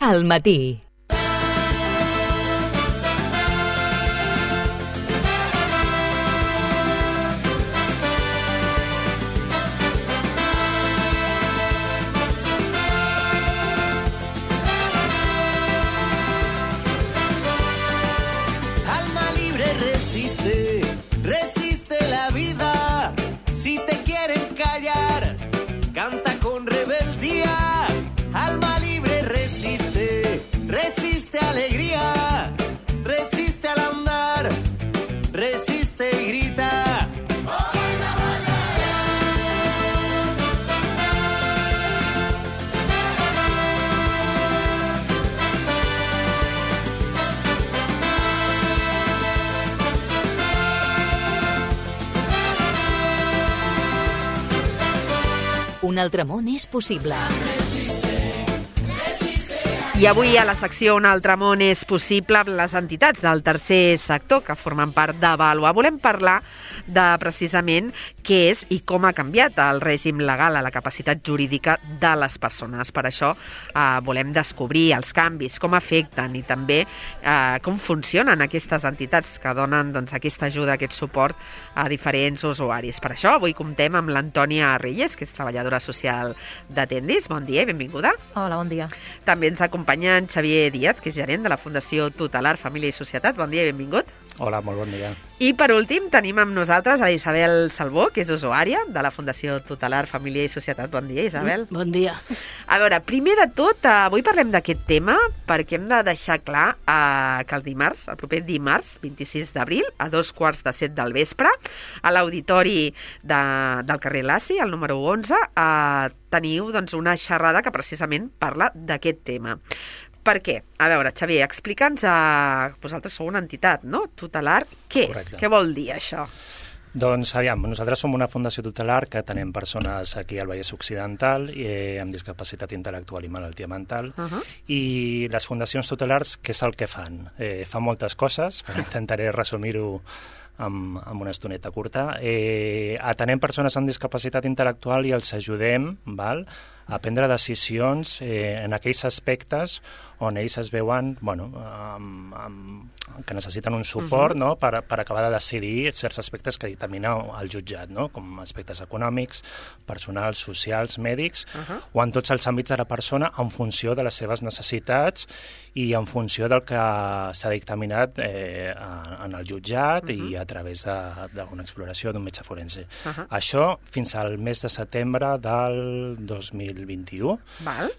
al matí. Alma libre resiste, resiste la vida. Si te quieren callar, canta con rebeldía. Alma libre resiste, resiste alegría, resiste al andar, resiste y grita. Un altre món és possible. I avui a la secció Un altre món és possible, les entitats del tercer sector que formen part d'Avaluar. Volem parlar de precisament què és i com ha canviat el règim legal a la capacitat jurídica de les persones. Per això volem descobrir els canvis, com afecten i també com funcionen aquestes entitats que donen aquesta ajuda, aquest suport a diferents usuaris. Per això avui comptem amb l'Antònia Reyes, que és treballadora social d'Atendis. Bon dia i benvinguda. Hola, bon dia. També ens acompanya en Xavier Díaz, que és gerent de la Fundació Tutelar Família i Societat. Bon dia i benvingut. Hola, molt bon dia. I per últim tenim amb nosaltres a Isabel Salvó, que és usuària de la Fundació Tutelar Família i Societat. Bon dia, Isabel. Bon dia. A veure, primer de tot, avui parlem d'aquest tema perquè hem de deixar clar que el dimarts, el proper dimarts, 26 d'abril, a 7:15 del vespre, a l'auditori del carrer Laci, el número 11, teniu una xerrada que precisament parla d'aquest tema. Per què? A veure, Xavier, explica'ns, vosaltres sou una entitat, no? Tutelar, què és? Correcte. Què vol dir això? Doncs, aviam, nosaltres som una fundació tutelar que tenem persones aquí al Vallès Occidental amb discapacitat intel·lectual i malaltia mental, i les fundacions tutelars, què és el que fan? Fan moltes coses, però intentaré resumir-ho amb una estoneta curta. Atenem persones amb discapacitat intel·lectual i els ajudem a prendre decisions en aquells aspectes on ells es veuen que necessiten un suport per acabar de decidir certs aspectes que dictamina el jutjat, com aspectes econòmics, personals, socials, mèdics, o en tots els àmbits de la persona en funció de les seves necessitats i en funció del que s'ha dictaminat en el jutjat i a través d'una exploració d'un metge forense. Això fins al mes de setembre del 2021,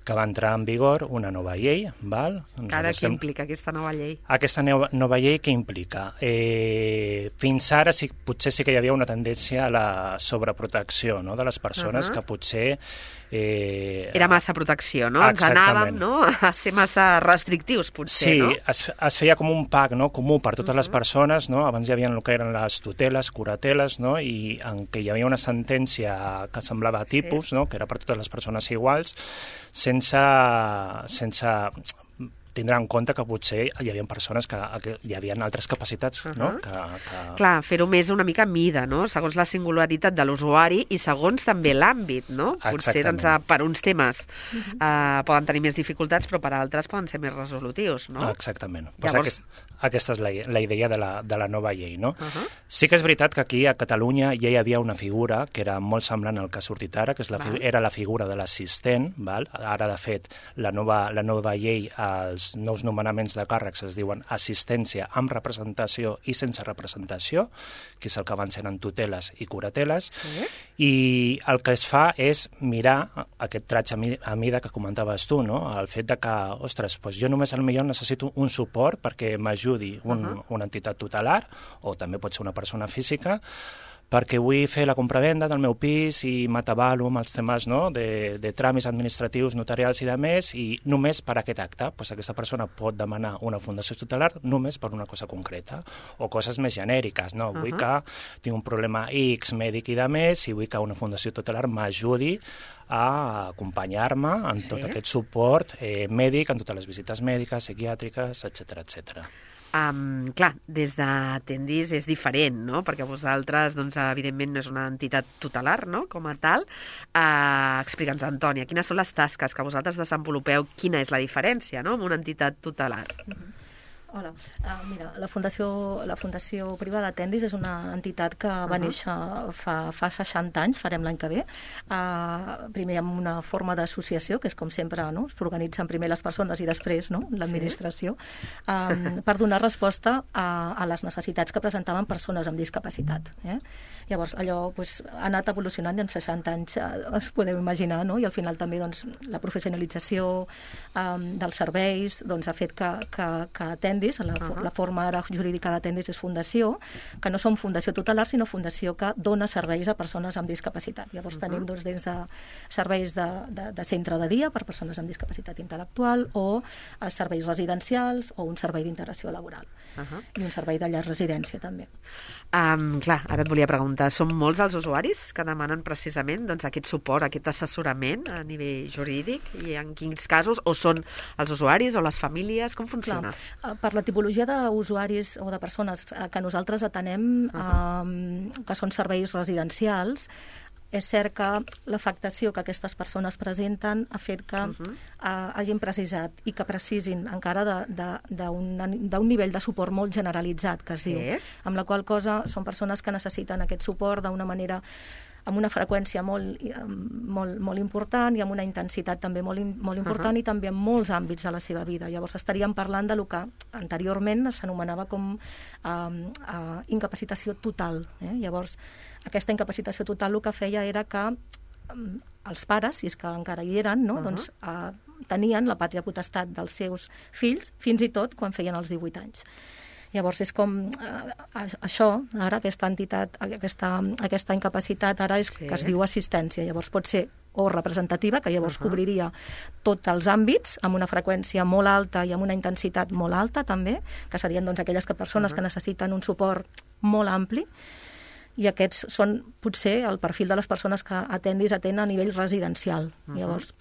que va entrar en vigor una nova llei. Ara, què implica aquesta nova llei? Aquesta nova llei què implica? Fins ara potser sí que hi havia una tendència a la sobreprotecció de les persones, que potser... Era massa protecció, no? Exactament. Ens anàvem a ser massa restrictius, potser, no? Sí, es feia com un pack comú per totes les persones, no? Abans hi havia el que eren les tuteles, curateles, no? I en què hi havia una sentència que semblava tipus, que era per totes les persones iguals, sense tindrà en compte que potser hi havia persones que hi havia altres capacitats, no? Clar, fer-ho més una mica a mida, no? Segons la singularitat de l'usuari i segons també l'àmbit, no? Potser per uns temes poden tenir més dificultats, però per altres poden ser més resolutius, no? Exactament. Llavors... Aquesta és la idea de la nova llei, no? Sí que és veritat que aquí a Catalunya ja hi havia una figura que era molt semblant al que ha sortit ara, que era la figura de l'assistent. Ara, de fet, la nova llei, els nous nomenaments de càrrecs es diuen assistència amb representació i sense representació, que és el que abans eren tuteles i curateles, i el que es fa és mirar aquest traig a mida que comentaves tu, no? El fet de que, ostres, jo només potser necessito un suport perquè m'ajudi una entitat tutelar, o també pot ser una persona física, perquè vull fer la compravenda del meu pis i m'atabalo amb els temes de tràmits administratius, notarials i de més, i només per aquest acte aquesta persona pot demanar una fundació tutelar només per una cosa concreta, o coses més genèriques, no? Vull que tinc un problema X mèdic i de més, i vull que una fundació tutelar m'ajudi a acompanyar-me en tot aquest suport mèdic, en totes les visites mèdiques, psiquiàtriques, etc. Clar, des de Tendis és diferent, no? Perquè vosaltres, doncs, evidentment, no és una entitat tutelar, no?, com a tal. Explica'ns, Antònia, quines són les tasques que vosaltres desenvolupeu, quina és la diferència, no?, amb una entitat tutelar. Hola, mira, la Fundació Privada Tendis és una entitat que va néixer fa 60 anys, farem l'any que ve, primer amb una forma d'associació, que és com sempre, no?, s'organitzen primer les persones i després, no?, l'administració, per donar resposta a les necessitats que presentaven persones amb discapacitat. Llavors, allò ha anat evolucionant i en 60 anys es podeu imaginar, no?, i al final també la professionalització dels serveis ha fet que Tendis, la forma ara jurídica de Tendis és fundació, que no som fundació tutelar, sinó fundació que dona serveis a persones amb discapacitat. Llavors tenim des de serveis de centre de dia per persones amb discapacitat intel·lectual o serveis residencials o un servei d'integració laboral. I un servei de llar residència també. Clar, ara et volia preguntar, són molts els usuaris que demanen precisament aquest suport, aquest assessorament a nivell jurídic, i en quins casos, o són els usuaris o les famílies, com funciona? Per la tipologia d'usuaris o de persones que nosaltres atenem, que són serveis residencials, és cert que l'afectació que aquestes persones presenten ha fet que hagin precisat i que precisin encara d'un nivell de suport molt generalitzat, que es diu, amb la qual cosa són persones que necessiten aquest suport d'una manera, amb una freqüència molt important i amb una intensitat també molt important i també en molts àmbits de la seva vida. Llavors estaríem parlant de lo que anteriorment s'anomenava com incapacitació total. Llavors, aquesta incapacitació total el que feia era que els pares, si és que encara hi eren, tenien la pàtria potestat dels seus fills, fins i tot quan feien els 18 anys. Llavors és com això, ara aquesta entitat, aquesta incapacitat ara és que es diu assistència. Llavors pot ser o representativa, que llavors cobriria tots els àmbits amb una freqüència molt alta i amb una intensitat molt alta també, que serien aquelles persones que necessiten un suport molt ampli, i aquests són potser el perfil de les persones que Tendis atén a nivell residencial. Llavors,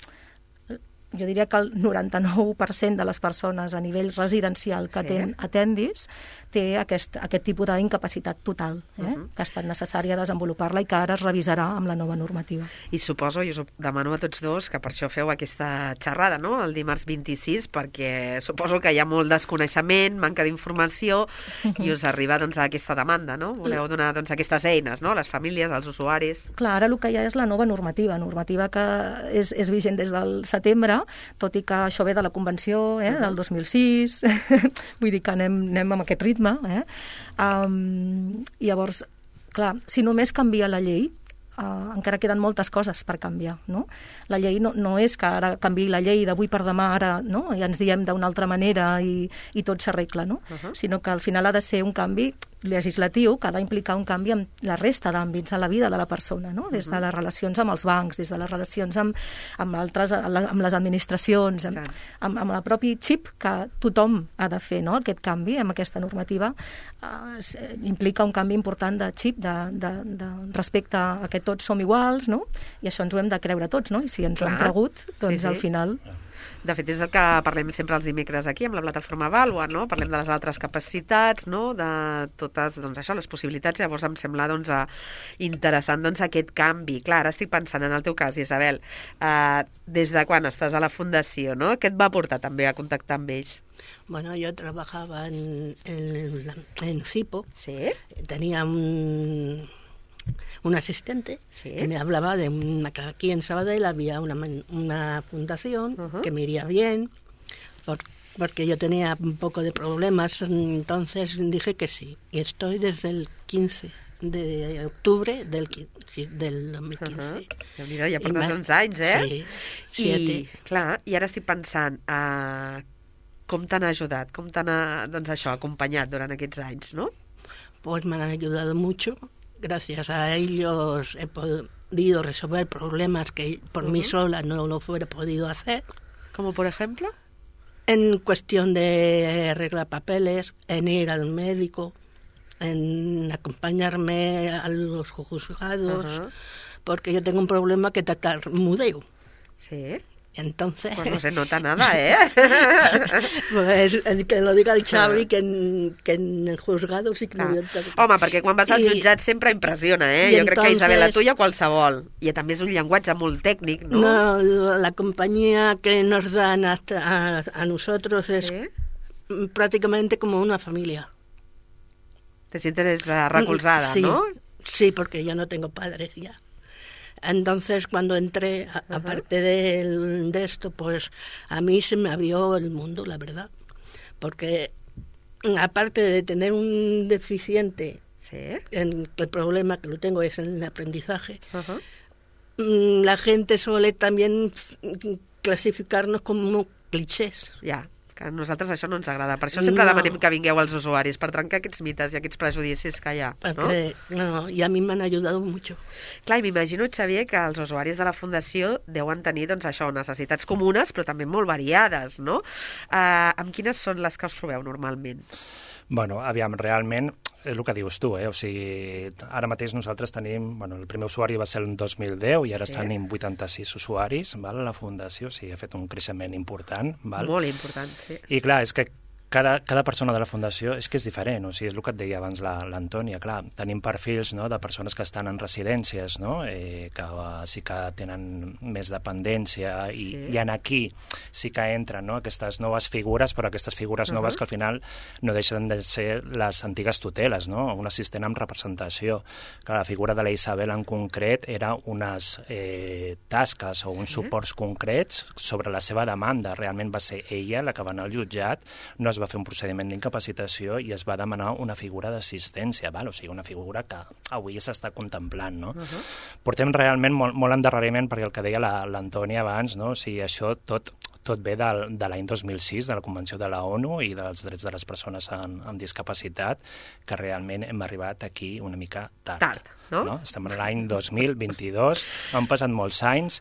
jo diria que el 99% de les persones a nivell residencial que Tendis té aquest tipus d'incapacitat total, que ha estat necessària desenvolupar-la i que ara es revisarà amb la nova normativa. I suposo, i us ho demano a tots dos, que per això feu aquesta xerrada, no?, el dimarts 26, perquè suposo que hi ha molt desconeixement, manca d'informació, i us arriba aquesta demanda, no? Voleu donar aquestes eines, no?, a les famílies, als usuaris. Clar, ara el que hi ha és la nova normativa que és vigent des del setembre, tot i que això ve de la Convenció del 2006, vull dir que anem amb aquest ritme. Llavors, clar, si només canvia la llei, encara queden moltes coses per canviar, no? La llei no és que ara canviï la llei d'avui per demà, ara, no?, i ens diem d'una altra manera i tot s'arregla, no? Sinó que al final ha de ser un canvi legislatiu que ha d'implicar un canvi en la resta d'àmbits de la vida de la persona, no? Des de les relacions amb els bancs, des de les relacions amb les administracions, amb el propi xip que tothom ha de fer, no? Aquest canvi, amb aquesta normativa, implica un canvi important de xip, de respecte a que tots som iguals, no? I això ens ho hem de creure tots, no? I si ens ho hem cregut, doncs al final... De fet, és el que parlem sempre els dimecres aquí, amb la plataforma Vàlua, no? Parlem de les altres capacitats, no?, de totes, les possibilitats. Llavors em sembla, interessant, aquest canvi. Clar, ara estic pensant en el teu cas, Isabel, des de quan estàs a la Fundació, no? Què et va portar també a contactar amb ells? Bueno, yo trabajaba en CIPO. ¿Sí? Tenía un asistente que me hablaba de que aquí en Sabadell había una fundación que me iría bien, porque yo tenía un poco de problemas, entonces dije que sí. Y estoy desde el 15 de octubre del 2015. Déu-n'hi-do, ja portes uns anys, Sí, 7. I ara estic pensant, com t'han ajudat, com t'han acompanyat durant aquests anys, no? Pues me han ayudado mucho. Gracias a ellos he podido resolver problemas que por mí sola no lo hubiera podido hacer. ¿Como por ejemplo? En cuestión de arreglar papeles, en ir al médico, en acompañarme a los juzgados, porque yo tengo un problema que tartamudeo. Sí. Entonces... Pues no se nota nada, ¿eh? Pues que lo diga el Xavi, que en el juzgado sí que no hi ha... Home, perquè quan vas al jutjat sempre impressiona, eh? Jo crec que Isabel, tu ja qualsevol. I també és un llenguatge molt tècnic, ¿no? No, la compañía que nos dan a nosotros es prácticamente como una familia. Te sientes recolzada, sí, ¿no? Sí, porque yo no tengo padres ya. Entonces, cuando entré, aparte de esto, pues a mí se me abrió el mundo, la verdad. Porque aparte de tener un deficiente, el problema que lo tengo es en el aprendizaje, la gente suele también clasificarnos como clichés. Ja, que a nosaltres això no ens agrada. Per això sempre demanem que vingueu als usuaris, per trencar aquests mites i aquests prejudicis que hi ha. No, i a mi m'han ajudat mucho. Clar, i m'imagino, Xavier, que els usuaris de la Fundació deuen tenir, doncs això, necessitats comunes, però també molt variades, no? Amb quines són les que us trobeu normalment? Bueno, aviam, realment és el que dius tu, o sigui, ara mateix nosaltres tenim, bueno, el primer usuari va ser el 2010 i ara tenim 86 usuaris, val, a la Fundació, o sigui, ha fet un creixement important, val? Molt important, sí. I clar, és que cada persona de la Fundació és que és diferent, o sigui, és el que et deia abans l'Antònia, clar, tenim perfils, no, de persones que estan en residències, no, que sí que tenen més dependència i en aquí sí que entren, no, aquestes noves figures, però aquestes figures noves que al final no deixen de ser les antigues tuteles, no, un assistent amb representació. Clar, la figura de la Isabel en concret era unes tasques o uns suports concrets sobre la seva demanda. Realment va ser ella la que va anar al jutjat, no es va fer un procediment d'incapacitació i es va demanar una figura d'assistència, o sigui, una figura que avui s'està contemplant, no? Portem realment molt endarreriment, perquè el que deia l'Antònia abans, no? O sigui, això tot ve de l'any 2006, de la Convenció de la ONU i dels drets de les persones amb discapacitat, que realment hem arribat aquí una mica tard. No? Estem en l'any 2022, han passat molts anys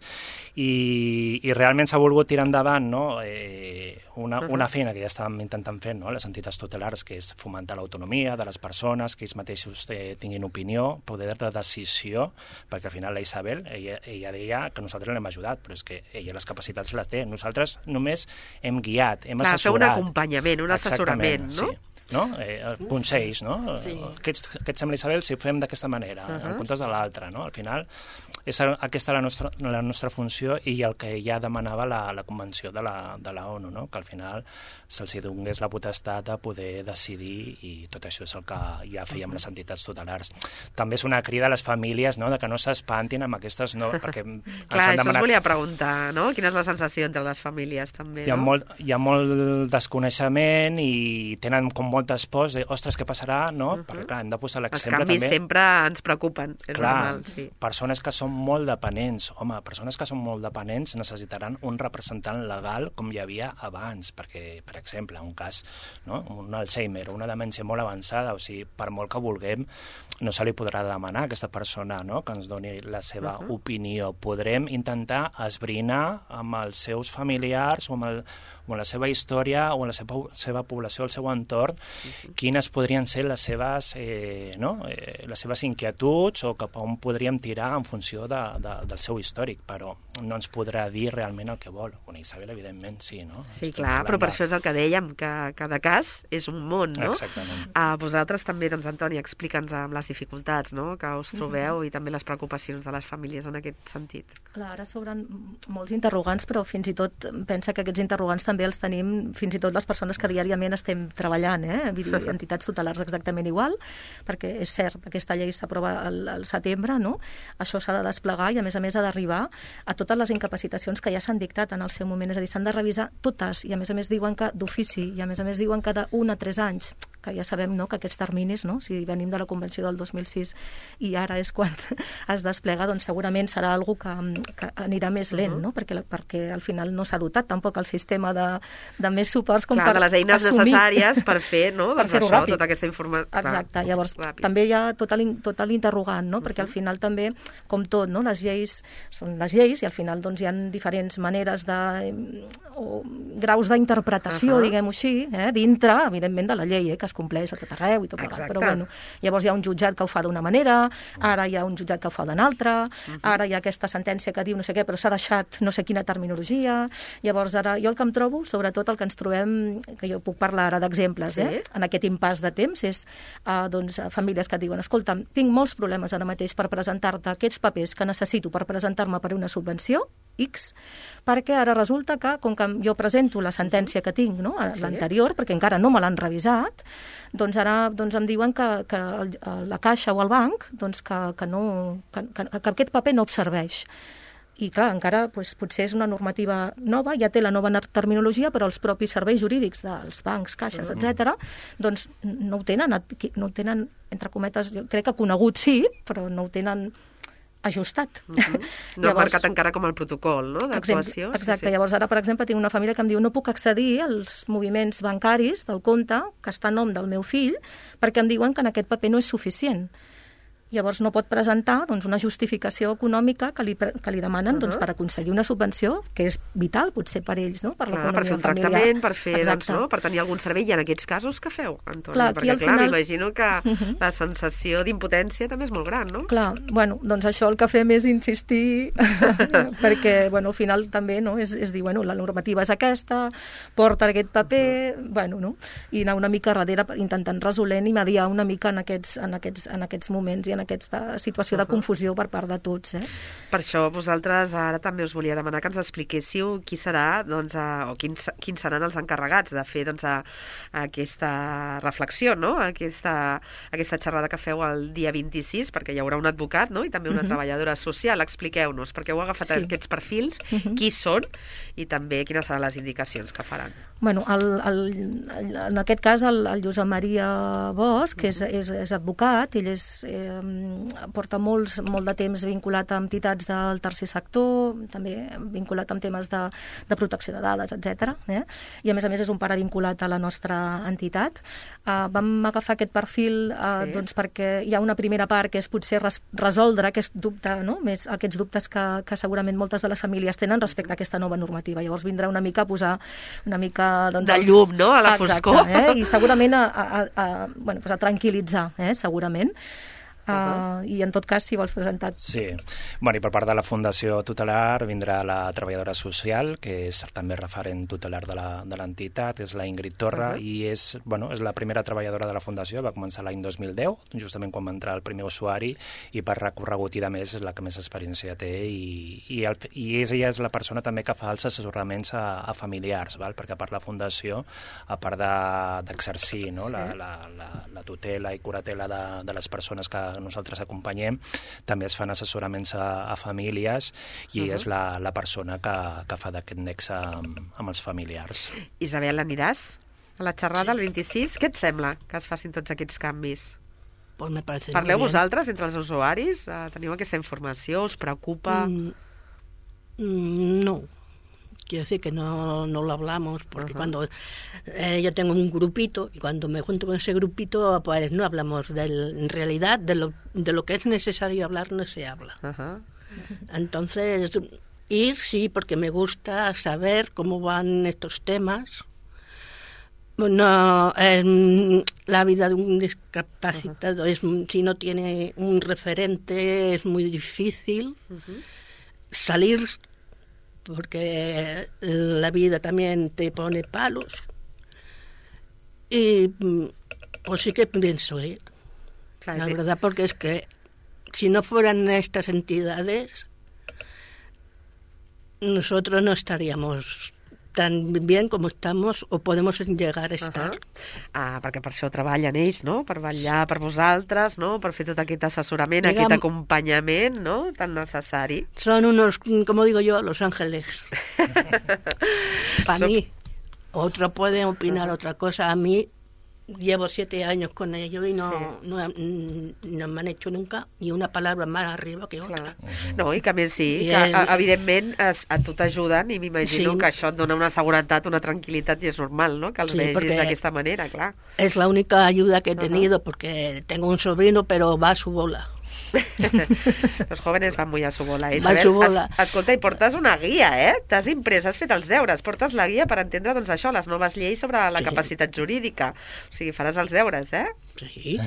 i realment s'ha volgut tirar endavant, no? Una feina que ja estàvem intentant fer, no? Les entitats tutelars, que és fomentar l'autonomia de les persones, que ells mateixos tinguin opinió, poder de decisió, perquè al final la Isabel, ella deia que nosaltres l'hem ajudat, però és que ella les capacitats les té. Nosaltres només hem guiat, hem assessorat. Fer un acompanyament, un assessorament, no? Sí. No? Consells, no? Sí. Què et sembla, Isabel, si ho fem d'aquesta manera, en comptes de l'altra, no? Al final, és aquesta la nostra funció i el que ja demanava la Convenció de la ONU, no? Que al final se'ls donés la potestat de poder decidir i tot això és el que ja fèiem les entitats tutelars. També és una crida a les famílies, no? De que no s'espantin amb aquestes... No, perquè clar, això us volia preguntar, no? Quina és la sensació entre les famílies, també, no? Hi ha molt desconeixement i tenen com moltes pors de, ostres, què passarà, no? Perquè, clar, hem de posar l'exemple també. Els canvis sempre ens preocupen, és normal, sí. Persones que són molt dependents, persones que són molt dependents necessitaran un representant legal com hi havia abans, perquè, per exemple, un cas, no? Un Alzheimer o una demència molt avançada, o sigui, per molt que vulguem, no se li podrà demanar a aquesta persona, no? Que ens doni la seva opinió. Podrem intentar esbrinar amb els seus familiars o amb la seva història o en la seva població, el seu entorn, quines podrien ser les seves, les seves inquietuds o cap on podríem tirar en funció del seu històric, però no ens podrà dir realment el que vol. Una Isabel, evidentment, sí, no? Sí, clar, però per això és el que dèiem, que cada cas és un món, no? Exactament. Vosaltres també, doncs, Antònia, explica'ns amb les dificultats, no?, que us trobeu i també les preocupacions de les famílies en aquest sentit. Clar, ara s'obren molts interrogants, però fins i tot pensa que aquests interrogants també els tenim fins i tot les persones que diàriament estem treballant, vull dir, entitats tutelars exactament igual, perquè és cert, aquesta llei s'aprova al setembre, no? Això s'ha de desplegar i a més ha d'arribar a totes les incapacitacions que ja s'han dictat en el seu moment, és a dir, s'han de revisar totes i a més diuen que d'ofici i a més diuen que de 1 a 3 anys, que ja sabem, no?, que aquests terminis, no?, si venim de la Convenció del 2006 i ara és quan es desplega, doncs segurament serà algo que anirà més lent, no?, perquè al final no s'ha dotat tampoc el sistema de més suports com clar, per de les eines assumir. Necessàries per fer, no?, per fer-ho ràpid. Tota aquesta informació. Exacte, llavors també hi ha tot l'interrogant, no?, perquè al final també, com tot, no?, les lleis són les lleis i al final doncs hi ha diferents maneres o graus d'interpretació, diguem-ho així, dintre, evidentment, de la llei, que es compleix a tot arreu i tot plegat. Però bueno, llavors hi ha un jutjat que ho fa d'una manera, ara hi ha un jutjat que ho fa d'una altra, ara hi ha aquesta sentència que diu no sé què, però s'ha deixat no sé quina terminologia. Llavors ara jo el que em trobo, sobretot el que ens trobem, que jo puc parlar ara d'exemples, en aquest impàs de temps, és doncs, famílies que et diuen, escolta, tinc molts problemes ara mateix per presentar-te aquests papers que necessito per presentar-me per una subvenció, X, perquè ara resulta que, com que jo presento la sentència que tinc, no? L'anterior, perquè encara no me l'han revisat, doncs ara em diuen que la Caixa o el banc doncs que aquest paper no serveix. I clar, encara potser és una normativa nova, ja té la nova terminologia, però els propis serveis jurídics dels bancs, caixes, etc., doncs no ho tenen, entre cometes, jo crec que conegut sí, però no ho tenen ajustat. No ha marcat encara com el protocol, no?, d'actuació. Exacte. Llavors ara, per exemple, tinc una família que em diu no puc accedir als moviments bancaris del compte que està a nom del meu fill perquè em diuen que en aquest paper no és suficient. Llavors no pot presentar doncs, una justificació econòmica que li demanen doncs, per aconseguir una subvenció, que és vital potser per ells, no? Per l'economia familiar. Per fer un tractament, per fer, doncs, no? Per tenir algun servei. I en aquests casos què feu, Antònia? Perquè clar, m'imagino que la sensació d'impotència també és molt gran, no? Clar, bueno, doncs això el que fem és insistir perquè, bueno, al final també, no? És dir, bueno, la normativa és aquesta, porta aquest paper, bueno, no? I anar una mica darrere intentant resolent i mediar una mica en aquests moments i en aquesta situació de confusió per part de tots. Per això vosaltres ara també us volia demanar que ens expliquéssiu qui serà, doncs, o quins seran els encarregats de fer doncs, aquesta reflexió, no? Aquesta xerrada que feu el dia 26, perquè hi haurà un advocat, no? I també una treballadora social. Expliqueu-nos, perquè heu agafat aquests perfils, qui són i també quines seran les indicacions que faran. Bueno, en aquest cas el Josep Maria Bosch, que és advocat, ell porta molt de temps vinculat a entitats del tercer sector, també vinculat amb temes de protecció de dades, etc. I a més és un pare vinculat a la nostra entitat. Vam agafar aquest perfil doncs, perquè hi ha una primera part que és potser resoldre aquest dubte, no? Aquests dubtes que segurament moltes de les famílies tenen respecte a aquesta nova normativa. Llavors vindrà una mica a posar una mica doncs, de llum, no?, a la foscor. I segurament a tranquil·litzar, segurament. I en tot cas, si vols presentar... Sí, bueno, i per part de la Fundació Tutelar vindrà la treballadora social, que és també referent tutelar de l'entitat, és la Ingrid Torra, i és la primera treballadora de la Fundació, va començar l'any 2010, justament quan va entrar el primer usuari, i per recorregut i de més és la que més experiència té, i ella és la persona també que fa els assessoraments a familiars, perquè per la Fundació, a part d'exercir la tutela i curatela de les persones que nosaltres acompanyem, també es fan assessoraments a famílies i és la persona que fa d'aquest nexe amb els familiars. Isabel, aniràs a la xerrada el 26? Què et sembla que es facin tots aquests canvis? Pues me parece Parleu vosaltres entre els usuaris? Teniu aquesta informació? Us preocupa? No. Quiero decir que no lo hablamos, porque cuando yo tengo un grupito, y cuando me junto con ese grupito, pues no hablamos en realidad de lo que es necesario hablar, no se habla. Entonces, ir sí, porque me gusta saber cómo van estos temas. No, la vida de un discapacitado, si no tiene un referente, es muy difícil salir, porque la vida también te pone palos. Y pues sí que pienso ir, la verdad, porque es que si no fueran estas entidades, nosotros no estaríamos tan bien com estamos o podemos llegar a estar. Perquè per això treballen ells, no? Per vetllar per vosaltres, no? Per fer tot aquest assessorament, aquest acompanyament, no? Tan necessari. Son unos, como digo yo, los ángeles. Para mí. Otro puede opinar otra cosa. A mí llevo 7 años con ellos y no me han hecho nunca ni una palabra más arriba que otra. No, i que a més sí, que evidentment a tu t'ajuden i m'imagino que això et dona una seguretat, una tranquil·litat i és normal, no?, que els vegis d'aquesta manera, clar. Es la única ayuda que he tenido porque tengo un sobrino pero va a su bola. Los jóvenes van muy a su bola. Va a su bola. Escolta, i portes una guia, T'has imprès, has fet els deures. Portes la guia per entendre, doncs, això, les noves lleis sobre la capacitat jurídica. O sigui, faràs els deures, Sí.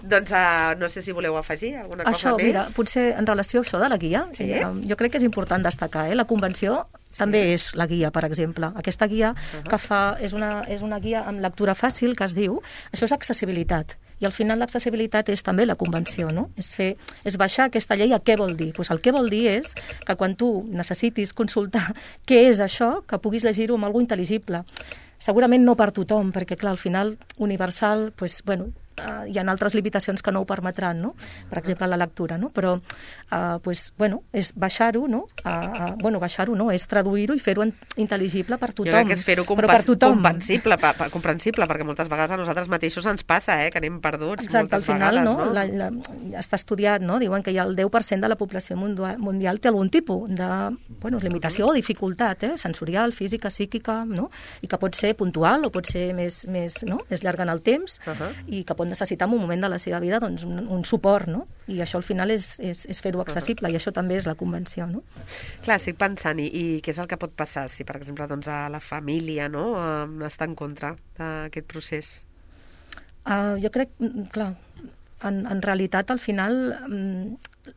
Doncs no sé si voleu afegir alguna cosa més. Mira, potser en relació a això de la guia, jo crec que és important destacar, la convenció també és la guia, per exemple. Aquesta guia que fa és una guia amb lectura fàcil, que es diu, això és accessibilitat. I al final l'accessibilitat és també la convenció, no? És baixar aquesta llei a què vol dir. Pues el que vol dir és que quan tu necessitis consultar què és això, que puguis llegir-ho amb alguna intel·ligible. Segurament no per tothom, perquè clar, al final universal, pues, bueno, hi ha altres limitacions que no ho permetran, no? Per exemple, la lectura, no? Però, pues, bueno, és baixar-ho, no? Baixar-ho, no? És traduir-ho i fer-ho intel·ligible per tothom. Jo crec que és fer-ho comprensible, perquè moltes vegades a nosaltres mateixos ens passa, que anem perduts. Exacte, al final, vegades, no? Està estudiat, no? Diuen que hi ha el 10% de la població mundial té algun tipus de limitació o dificultat, sensorial, física, psíquica, no? I que pot ser puntual o pot ser més llarga en el temps i que pot necessitar en un moment de la seva vida doncs, un suport, no? I això al final és fer-ho accessible, i això també és la convenció, no? Clar, estic pensant, i què és el que pot passar si, per exemple, doncs, a la família està en contra d'aquest procés? Jo crec, clar, en realitat, al final,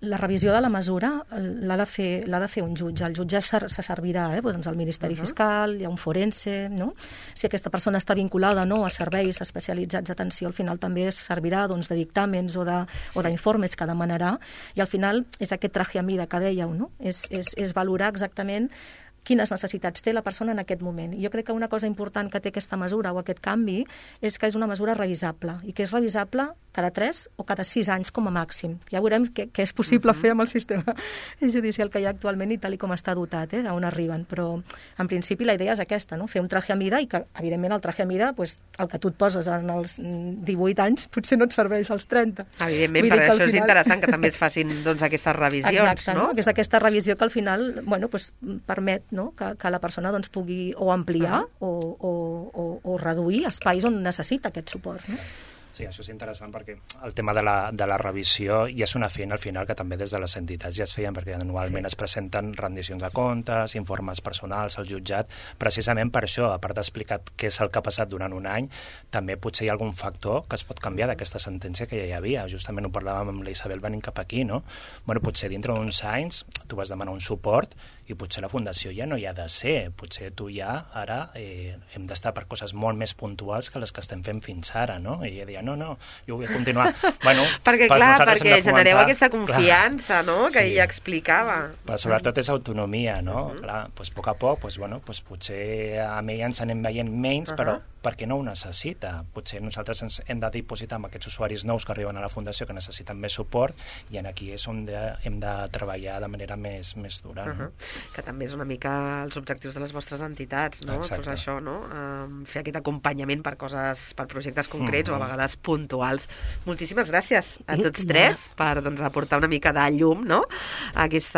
la revisió de la mesura l'ha de fer un jutge. El jutge se servirà doncs al Ministeri Fiscal, hi ha un forense, no? Si aquesta persona està vinculada no, a serveis especialitzats d'atenció, al final també es servirà doncs, de dictàmens o d'informes que demanarà, i al final és aquest traje a mida que dèieu, no? És valorar exactament quines necessitats té la persona en aquest moment. I jo crec que una cosa important que té aquesta mesura o aquest canvi és que és una mesura revisable, i que és revisable cada 3 o cada 6 anys com a màxim. Ja veurem què és possible fer amb el sistema judicial que hi ha actualment i tal com està dotat, a on arriben. Però, en principi, la idea és aquesta, no? Fer un traje a mida, i que, evidentment, el traje a mida, pues, el que tu et poses en els 18 anys, potser no et serveix als 30. Evidentment, per això és interessant que també es facin doncs, aquestes revisions. Exacte, no? És aquesta revisió que al final pues, permet que la persona doncs, pugui o ampliar o reduir espais on necessita aquest suport, no? Sí, això és interessant perquè el tema de la revisió ja és una feina al final que també des de les entitats ja es feien, perquè anualment es presenten rendicions de comptes, informes personals al jutjat, precisament per això, a part d'explicar què és el que ha passat durant un any, també potser hi ha algun factor que es pot canviar d'aquesta sentència que ja hi havia. Justament ho parlàvem amb la Isabel venint cap aquí, no? Bueno, potser dintre d'uns anys tu vas demanar un suport i potser la fundació ja no hi ha de ser. Potser tu ja ara hem d'estar per coses molt més puntuals que les que estem fent fins ara, no? I ella deia, no, jo vull continuar. Bueno, perquè genereu aquesta confiança, no?, que ella explicava. Però sobretot és autonomia, no? Clar, doncs a poc a poc, doncs potser amb ella ens anem veient menys, però perquè no ho necessita. Potser nosaltres ens hem de dipositar amb aquests usuaris nous que arriben a la fundació que necessiten més suport, i aquí és on hem de treballar de manera més dura. No? Que també és una mica els objectius de les vostres entitats, no? Exacte. Pues això, no? Fer aquest acompanyament per projectes concrets o a vegades puntuals. Moltíssimes gràcies a tots tres per aportar una mica de llum, no?, a aquest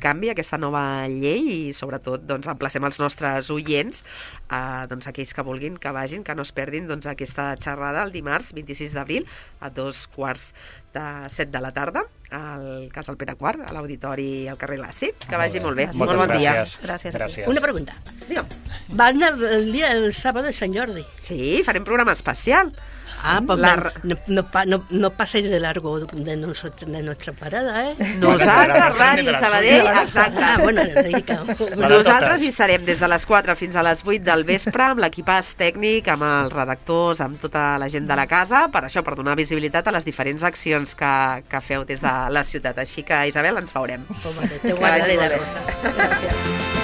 canvi, a aquesta nova llei, i sobretot emplacem els nostres oients, aquells que vulguin que vagin, que no es perdin aquesta xerrada el dimarts 26 d'abril a 2:45 de la tarda al Casal Pere IV, a l'auditori al carrer Laci. Que vagi molt bé. Molt bon dia. Gràcies. Una pregunta. Digue'm. Va anar el sábado de Sant Jordi. Sí, farem programa especial. Pues no paséis de largo de nuestra parada, Nosaltres, Ràdio Sabadell, exacte. Bueno, nosaltres hi serem des de les 4 fins a les 8 del vespre, amb l'equipàs tècnic, amb els redactors, amb tota la gent de la casa, per això, per donar visibilitat a les diferents accions que feu des de la ciutat. Així que, Isabel, ens veurem. Te guardaré de veure. Gràcies.